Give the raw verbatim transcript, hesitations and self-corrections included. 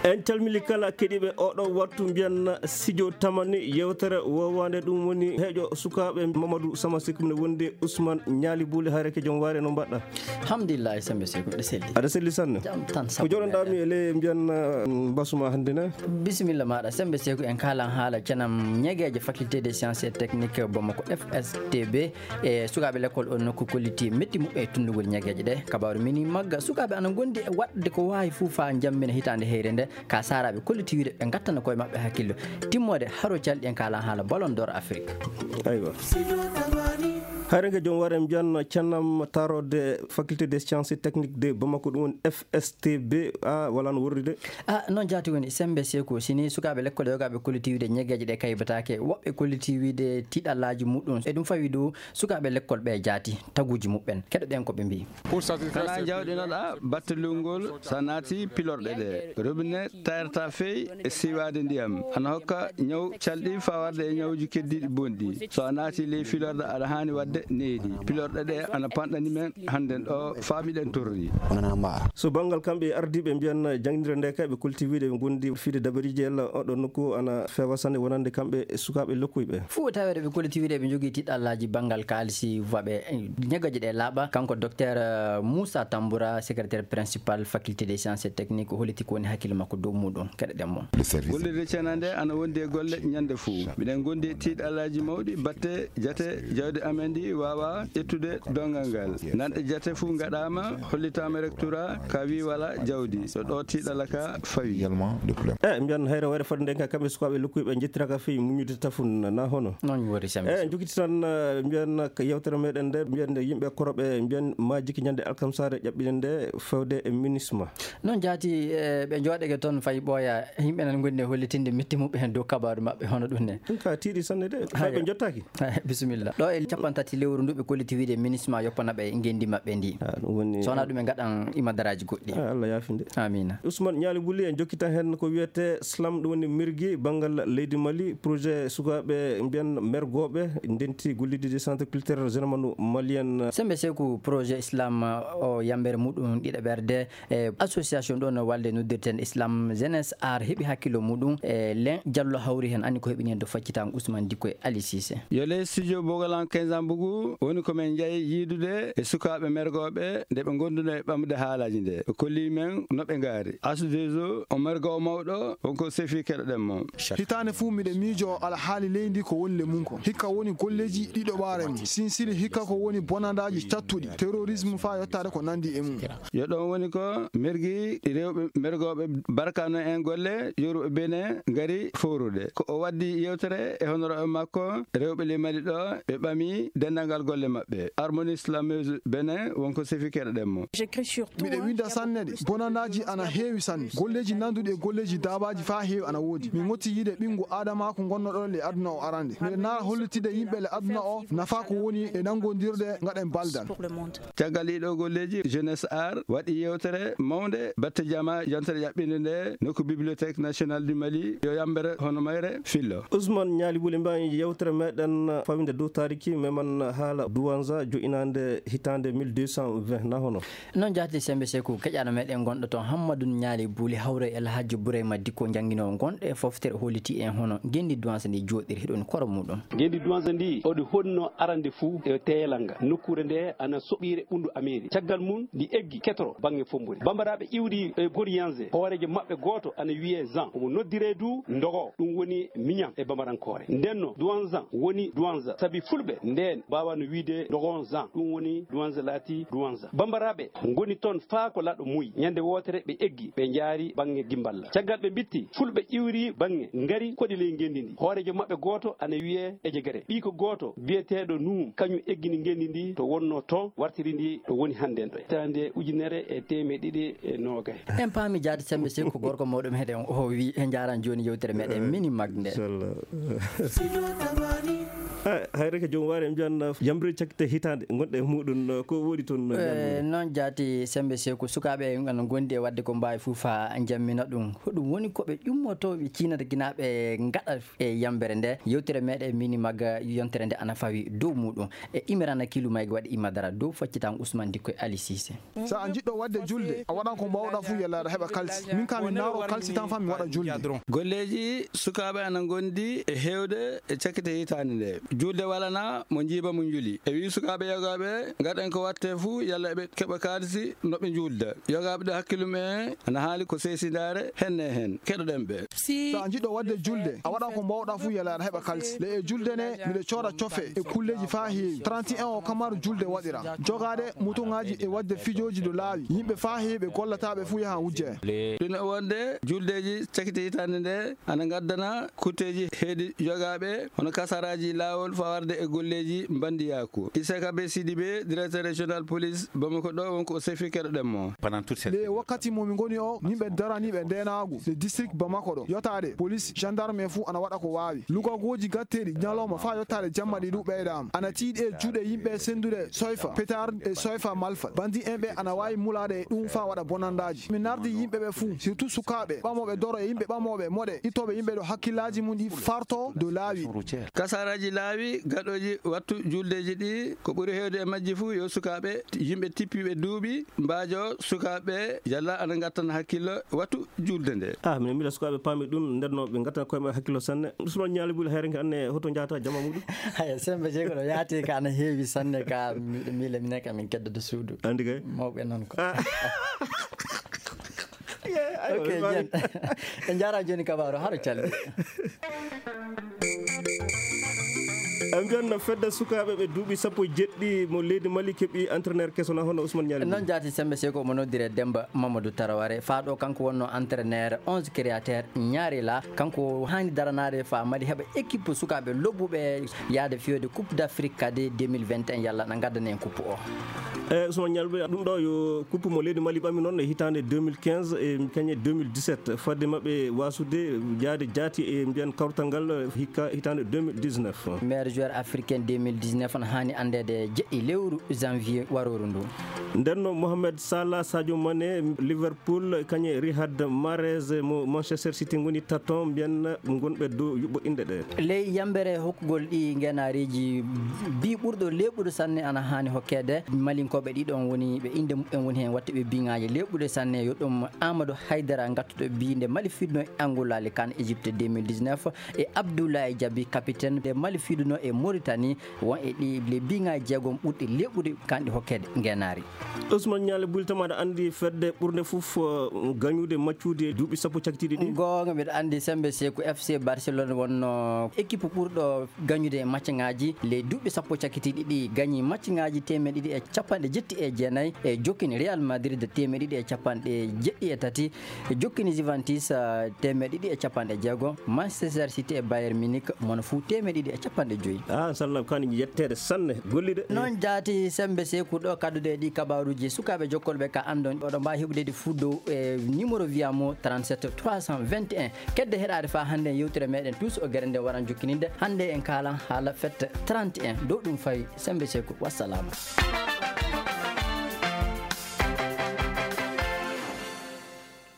En calmini kala keɗiiɓe oɗo wattu, mbiyan sijo tamani yewtere wowande, ɗum woni heejo sukaaɓe Mamadou Sama Seck, mine wondi Ousmane Ñaali Buli. Hayreke joom waare, no mbaɗɗa? Alhamdulillah, Sembe Seku, ɗe selli. Aɗa selli sanne. Jam tan. Ko joɗonɗami e ley mbiyan, uh, mbasuma hannde ne? Bisimilla maɗa, Sembe Seku, en kalan haala canam ñegeeje faculté des sciences et techniques Bamako, F S T B, e sukaaɓe lekkol on nokku kolliti metti muɓɓe e tunndugol ñegeeje ɗe. Kabaaru mini magga, sukaaɓe ana ngondi e waɗde ko waawi fuu faa njammina hitaande heyre nde, ka saaraaɓe kolliti wiide ɓe ngattana koye maɓɓe hakkillo. Timmoode haro calɗi en kalan haala Ballon d'Or Afrique. Aywa. Hayreke joom waare mbiyan canam taarode faculté des sciences et techniques de Bamako, ɗum woni F S T B, a wala no worri de. A, noon jaati woni Sembe Seku, sini sukaaɓe lekkol yogaaɓe kolliti wiide ñegeeje ɗe kaybataake, woɓɓe kolliti wiide tiiɗallaaji muɗum. E ɗum fawi dow sukaaɓe lekkol ɓe jaati taguuji muɓɓen. Keɗoɗen ko ɓe mbiyi. Kana jawɗinoɗa batte lungol, so a naati pilorɗe ɗe, robinet tayrata fey e siiwaade ndiyam, ana hokka ñaw calɗi faa warde e ñawuji keddiiɗi bonɗi. So a naati ley filorɗe, aɗa haani waɗde needi. Pilorɗe ɗe ana panɗani men hannden ɗo faa miɗen torri. So banngal kamɓe ardiiɓe mbiyan janngirde nde kay, ɓe kolliti wiide ɓe ngondi fiide dabariiji yalla oɗo nokku ana feewa sanne wonande kamɓe e sukaaɓe lokkuy ɓe. Fuu taweede ɓe kolliti wiide ɓe njogii tiiɗallaaji banngal kaalisi waɓe, eh, ñegeeje ɗe laaɓa. Kanko docteur, eh, Moussa Tamboura, secrétaire principal faculté des sciences et techniques, o holliti ko woni hakkille makko dow muɗum. Keɗoɗen mo. Gollirde cena nde ana wondi e golle ñande fuu. Miɗen gondi e tiiɗallaaji mawɗi batte jate jawdi amen ndi waawa ƴettude donngal ngal. Nanɗe jate fuu ngaɗaama, hollitaama rectorat, ka wi wala jawdi. Ɗo ɗo tiiɗalla ka fawi. E, mbiyan hayre wayre fodde nden ka kamɓe sukaaɓe lokkuɓe ɓe njettiraka fii muññude tafun na hono. Noon woni Sembe. E, jokiti tan, eh, mbiyan ka yewtere meɗen nde, mbiyan nde yimɓe koroɓe, mbiyan majiki ñande alkamsare ƴaɓɓine nde fewde e minisma. Noon jaati, eh, ɓe jooɗeke toon fay ɓooya, yimɓe nan ngondi e hollitinde metti muɓɓe heen dow kabaaru maɓɓe hono ɗum ne. Ɗum ka tiiɗi sanne de, fay ɓe jottaaki. Bisimilla. Ɗo e capanɗe tati lewru ndu ɓe kolliti wiide minisma yoppana ɓe ngenndi maɓɓe ndi. Ah, ɗum woni. So wonaa ɗum ɓe ngaɗan imadaraaji goɗɗi. Ah, Allah yaafinde. Amiina. Ousmane Ñaali Wuli en jokkitan heen ko wiyetee slam, ɗum woni mirgi banngal leydi Mali, projet sukaaɓe mbiyan mergooɓe, ndenti gollidde centre culturel Zenemanu Malien. Sembe Seku, projet slam o yambere muɗum ɗiɗaɓerde e association ɗo no walde noddirten Islam Jeunesse Art heɓi hakkillo muɗum e len jallo hawri heen anni ko heɓini heen to faccitango Ousmane Dikko e Ali Cissé. Yo ley studio Bogolan quinze ans Bougou woni ko men njahi yiidude e sukaaɓe mergooɓe nde ɓe ngonduno e ɓamde haalaaji nde. Ɓe kolli men no ɓe ngaari. Asdezo, o mergo o mawɗo, wonko sefi keɗoɗen mo. Hitaande fuu miɗe miijoo alhaali leydi ko woni le mum ko. Hikka woni golleeji ɗiɗo ɓaare mum. Sinsili hikka ko woni bonandaaji cattuɗi, terrorisme faa yottaade ko nandi e mum. Yo ɗon woni ko mergi rewɓe mergooɓe barkano en golle yoruɓe Benin ngari fowrude. Ko o waddi yewtere e honoraaɓe makko rewɓe ley Mali ɗo ɓe ɓami denndangal golle maɓɓe. Harmonie Slameuse Benin wonko sefi keɗoɗen mo. Miɗe winda sanne de, bonandaaji ana heewi sanne. Golleeji nanduɗi e golleeji daabaaji faa heewi ana woodi. Mi ŋotti yiide ɓinngu aadamaaku ngonnoɗo le aduna o arande. Miɗe naara hollitide yimɓe le aduna o nafa ko woni e nanngondirde ngaɗen baldal. Caggal ɗiɗo golleeji, Jeunesse Art waɗi yewtere mawnde batte jama yontere ƴaɓɓinde nde nokku Bibliothèque Nationale du Mali, yo yambere hono mayre fillo. Ousmane Ñaali Wuli, mbawi yewtere meɗen fawinde dow taariki, meman haala Douanza jo'inaande hitaande mille deux cent vingt, na hono? Noon jaati Sembe Seku, keƴaano meɗen gonɗo toon Hammadou Ñaali Buli hawre El Hadji Bourayma Dikko janngino gonɗo e foftere holliti en hono ngenndi Douanza ndi jooɗiri hiɗon koro muɗum. Ngenndi Douanza ndi, oɗi honno arande fuu e teelanga. Nokkuure nde ana soɓiire ɓunndu Ameeri. Caggal mum, ndi eggi ketoro baŋŋe fombori. Bambaraaɓe iwri e Goriyanze, hooreejo maɓɓe gooto ana wiyee Zan. Omo noddiree du Ndogo, ɗum woni miñan e bambarankoore. Ndenno, Duwanzan woni Duwanza, sabi Fulɓe ndeen mbaawano wiyde Ndogon Zan, ɗum woni Duwanza laati Duwanza. Bambaraaɓe ngoni toon faa ko laɗo muy. Ñande wootere ɓe eggi, ɓe njaari baŋŋe Gimballa. Caggal ɓe mbitti, Fulɓe iwri baŋŋe, ngari koɗi ley ngenndi ndi. Hooreejo maɓɓe gooto ana wiyee Ejegere. Ɓiyko gooto biyeteeɗo Nuum, kañum eggini ngenndi ndi to wonnoo toon, wartiri ndi ɗo woni hannden ɗo. Hitaande ujunere e teemeɗe ɗiɗi e noogay. En paami jaati Sembe Seku ko gorko mawɗo meɗen o wi en njaaraan jooni yewtere meɗen mini mag nde. Inchallah. Hayre ko joom waare en mbiyan yamre cakkite hitaande ngonɗe e muɗum, ko woodi toon? Noon jaati sembe seeku sukaaɓe ana ngondi e waɗde ko mbaawi fof haa njammina ɗum. Hoɗum woni ko ɓe ƴummotooɓe ciinata ginaaɓe ngaɗa e yambere nde? Yewtere meɗen mini magga yontere nde ana fawi dow muɗum. E imirana kilu mayga waɗi imadara dow faccitan Ousmane Dikko e Ali Cissé. So a njiɗɗo waɗde julde, a waɗan ko mbaawɗa fof yalla aɗa heɓa kalsi. Min kam mi naaro kalsi tan fa mi waɗa julde. Golleeji sukaaɓe ana ngondi e heewde e cakkite hitaande nde. Julde walana mo njiiba mo njuli. E wii sukaaɓe yogaaɓe ngaɗen ko watte fof yalla eɓe keɓa kalsi no ɓe julda. Yogaaɓe ɗo hakkillum en ana haali ko seesindaare henne heen. Keɗoɗen ɓe. So a njiɗɗo waɗde julde, a waɗan ko mbaawɗa fof yalla aɗa heɓa kalsi. Le e julde ne, miɗo cooda cofe e kulleeji fa heewi. Trente et un o kamaru julde waɗira. Jogaade mutuŋaaji e waɗde fijooji ɗo laawi. Yimɓe fa heewi ɓe gollata ɓe fof yaha wujje. Ɗum e wonde juldeeji cakite hitaande nde ana ngaddana kutteeji heedi yogaaɓe hono kasaraaji laawol fawarde e golleeji mbandiyaaku. Isaka be Sidibe, directeur régional police Bamako ɗo wonko o sefi keɗoɗen mo. Pendant toute cette Le wakkati mo min ngoni o, yimɓe daraniiɓe ndeenaagu le district Bamako ɗo, yotaade police, gendarme en fuu ana waɗa ko waawi. Lugagooji gatteeɗi ñalawma faa yotaade jamma ɗi ɗu ɓeydaama. Ana tiiɗi e juuɗe yimɓe senndude soyfa, pétard e soyfa malfa. Bandi en ɓe ana waawi mulaade e ɗum faa waɗa bonandaaji. Mi nardi yimɓe ɓe fuu, surtout sukaaɓe, ɓamooɓe doro e yimɓe ɓamooɓe moɗe, ittooɓe yimɓe ɗo hakkillaaji mum ɗi farto dow laawi. Kasaraaji laawi gaɗooji wattu juldeeji ɗi, ko ɓuri heewde e majji fuu yo sukaaɓe, yimɓe tippiiɓe duuɓi, mbaajo sukaaɓe, yalla ana ngattana hakkillo wattu julde nde. Ah, min mbiɗa sukaaɓe paami ɗum, nden no ɓe ngattana koye maɓɓe hakkillo sanne. Ousmane Ñaali Buli, hayre nge anne hoto njahata jamma muɗum? Haya, sembe jeego ɗo yaati ka ana heewi sanne ka, miɗo miila minen ka min keddata suudu. Andi kay. Mawɓe noon ko. Ah. Yeah, aywa, ok, ɓe mbawi. Jen. En njaara jooni kabaaru, haro calli. En mbiyan no fedde sukaaɓe ɓe duuɓi sappo e jeɗɗi mo leydi Mali keɓi entraîneur keso na hono Ousmane Ñaali. Noon jaati sembe seko mo noddire Demba Mamadou Taraware. Faa ɗo kanko wonno entraîneur onze créateur ñaari la. Kanko haani daranaade faa Mali heɓa équipe sukaaɓe lobbuɓe yaade fiyode Coupe d'Afrique kadi deux mille vingt et un yalla na ngaddana en coupe o. E Ousmane Ñalbe, ɗum ɗo yo coupe mo leydi Mali ɓami noon e hitaande deux mille quinze e kañe deux mille dix-sept. Fadde maɓɓe wasude jaade jaati e mbiyan kawtal ngal hikka hitaande deux mille dix-neuf. Meilleur joueur africain deux mille dix-neuf on haani anndeede jeɗɗi lewru janvier warooru ndu. Nden no Mohamed Salah, Sadio Mané, Liverpool, kañe Riyad Mahrez mo Manchester City ngoni taton mbiyan ngonɓe dow yuɓɓo inɗe ɗe. Ley yambere hokkugol ɗi ngenaariiji, bi ɓurɗo leeɓude sanne ana haani hokkeede. Malinkooɓe ɗiɗon woni ɓe innde muɓɓen woni heen waɗtuɓe biŋaaji leeɓude sanne, yo ɗum Amadou Haydara ngattuɗo biinde Mali fiɗno e Angola le kan Égypte deux mille dix-neuf, e Abdoulaye Diaby, capitaine nde Mali fiɗuno e Mauritanie, won e ɗi le biŋaaji jeegom ɓurɗi leeɓude kanɗi hokkeede ngenaari. Ousmane Ñaale Buli, tama aɗa anndi fedde ɓurnde fof, eh, gañude maccude duuɓi sappo cakkitiiɗi ɗi? Goonga, miɗo anndi sembe Seeku F C Barcelone wonno équipe ɓurɗo gañude e maccaŋaaji. Ley duuɓi sappo cakkitiiɗi ɗi gañi maccaŋaaji teemeɗe ɗiɗi e capanɗe jetti e jeenayi, e jokkini Real Madrid teemeɗe ɗiɗi e capanɗe jeɗɗi e tati, e jokkini Juventus, ah, teemeɗe ɗiɗi e capanɗe jeego, Manchester City e Bayern Munich mono fuu teemeɗe ɗiɗi e capanɗe joyi. Ah, sallam kan yetteede sanne, golliɗe. Noon jaati sembe Seeku ɗo kaddude ɗi kabaaruuji sukaaɓe jokkolɓe ka anndon. Oɗo mbaawi heɓude ɗi fuu dow e numéro Viamo trente-sept trois cent vingt et un. Kedde heɗaade faa hannde yewtere meɗen Tous o gere nde waran jokkininde. Hannde en kaalan haala fête trente et un. Dow ɗum fawi sembe Seeku. Wassalaamu.